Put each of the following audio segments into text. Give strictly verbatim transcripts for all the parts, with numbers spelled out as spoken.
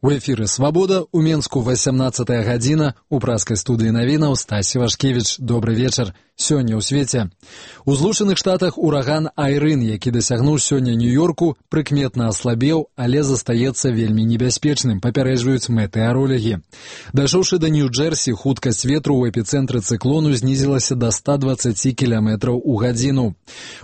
У эфіры «Свабода», у Менску васямнаццатая гадзіна, у праскай студыі навінаў Стасі Вашкевіч. Добры вечар. Сёння ў свеце. У Злучаных Штатах ураган Айрын, які дасягнуў сёння Нью-Йорку, прыкметна аслабеў, але застаецца вельмі небяспечным, папярэджваюць метэаролагі. Дайшоўшы да Нью-Джерсі, хуткасць ветру ў эпіцэнтры цыклону знізілася да ста дваццаці кіламетраў у гадзіну.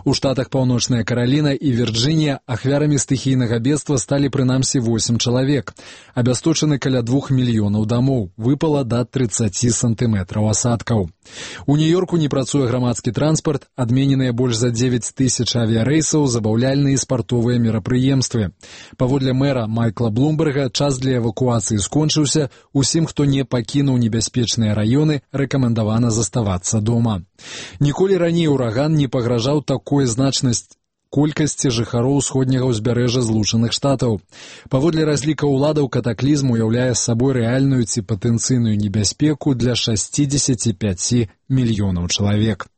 У штатах Паўночная Караліна і Вірджынія ахвярамі стыхійнага бедства сталі прынамсі восем чалавек. Абясточаны каля двух мільёнаў дамоў, выпала да трыццаці сантыметраў асадкаў. У Нью-Йорку не працуе грамадскі транспарт, адмененыя больш за дзевяць тысяч авіярэйсаў, забаўляльныя і спартовыя мерапрыемствы. Паводле мэра Майкла Блумберга, час для эвакуацыі скончыўся, усім, хто не пакінуў небяспечныя раёны, рэкамендавана заставацца дома. Ніколі раней ураган не пагражаў такой значнасці колькасці жыхароў усходняга ўзбярэжжа Злучаных Штатаў. Паводле разлікаў уладаў, катаклізм уяўляе сабой рэальную ці патэнцыйную небяспеку для шасцідзесяці пяці мільёнаў чалавек.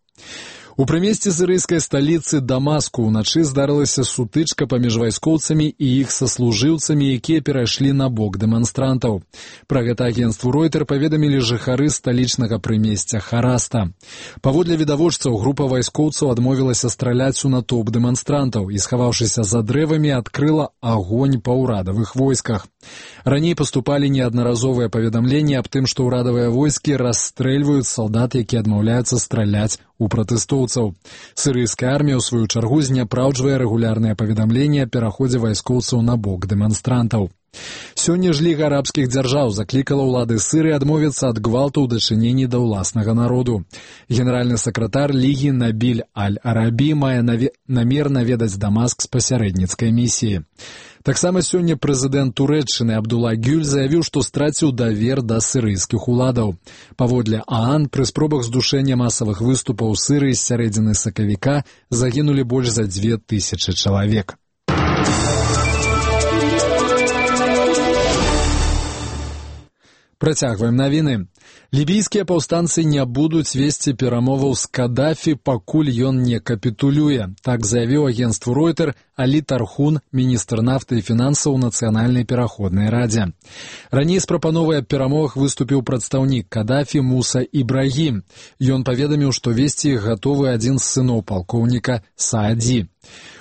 У прымесці сірыйскай сталіцы Дамаску ўначы здарылася сутычка паміж вайскоўцамі і іх саслужыўцамі, якія перайшлі на бок дэманстрантаў. Пра гэта агенцтву Ройтер паведамілі жыхары сталічнага прымесця Хараста. Паводле відавочцаў, група вайскоўцаў адмовілася страляць у натоўп дэманстрантаў і, схаваўшыся за дрэвамі, адкрыла агонь па ўрадавых войсках. Раней паступалі неаднаразовыя паведамленні аб тым, што ўрадавыя войскі расстрэльваюць салдат, якія адмаўляюцца страляць у пратэстоўцаў. Сірыйская армія, у сваю чаргу, зняпраўджвае рэгулярныя паведамленні аб пераходзе вайскоўцаў на бок дэманстрантаў. Сёння ж Ліга арабскіх дзяржаў заклікала ўлады Сірыі адмовіцца ад гвалту ў дачыненні да ўласнага народу. Генеральны сакратар Лігі Набіль Аль-Арабі мае намер наведаць Дамаск з пасярэдніцкай місіі. Таксама сёння прэзідэнт Турэччыны Абдулла Гюль заявіў, што страціў давер да сірыйскіх уладаў. Паводле ААН, пры спробах здушэння масавых выступаў у Сірыі з сярэдзіны сакавіка загінулі больш за дзве тысячы чалавек. Працягваем навіны. Лібійскія паўстанцы не будуць весці перамоваў з Кадафі, пакуль ён не капітулюе. Так заявіў агенцтву Ройтер Алі Тархун, міністр нафты і фінансаў у Нацыянальнай пераходнай радзе. Раней з прапановай аб перамовах выступіў прадстаўнік Кадафі Муса Ібрагім. Ён паведаміў, што весці іх гатовы адзін з сыноў палкоўніка Сааді.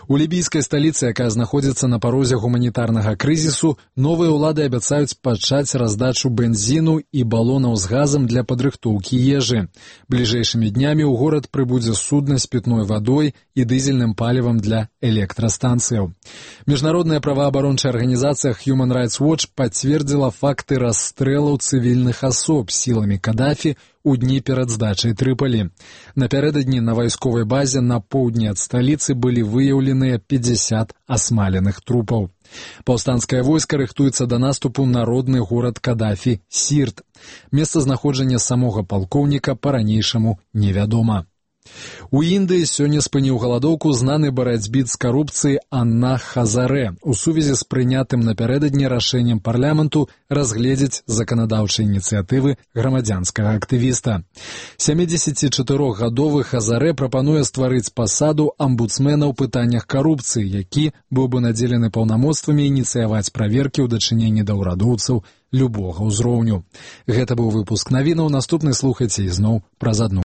У лібійскай сталіцы, якая знаходзіцца на парозе гуманітарнага крызісу, новыя ўлады абяцаюць пачаць раздачу бензіну і балонаў з газам для падрыхтоўкі ежы. Бліжэйшымі днямі ў горад прыбудзе судна з пітной вадой і дызельным палівам для электрастанцыяў. Міжнародная праваабарончая арганізацыя Human Rights Watch пацвердзіла факты расстрэлаў цывільных асоб сіламі Кадафі у дні перад здачай Трыпалі. Напярэдадні на вайсковай базе на поўдні ад сталіцы былі выяўленыя пятьдесят асмаленых трупаў. Паўстанцкае войска рыхтуецца да наступу на родны горад Кадафі Сірт. Месцазнаходжанне самога палкоўніка па-ранейшаму невядома. У Індыі сёння спыніў галадоўку знаны барацьбіт з карупцыяй Анна Хазарэ у сувязі з прынятым напярэдадні рашэннем парламенту разгледзець заканадаўчыя ініцыятывы грамадзянскага актывіста. сямідзесяцічатырохгадовы Хазарэ прапануе стварыць пасаду амбудсмена ў пытаннях карупцыі, які быў бы надзелены паўнамоцтвамі ініцыяваць праверкі ў дачыненні да ўрадоўцаў любога ўзроўню. Гэта быў выпуск навінаў, наступны слухайце ізноў праз адну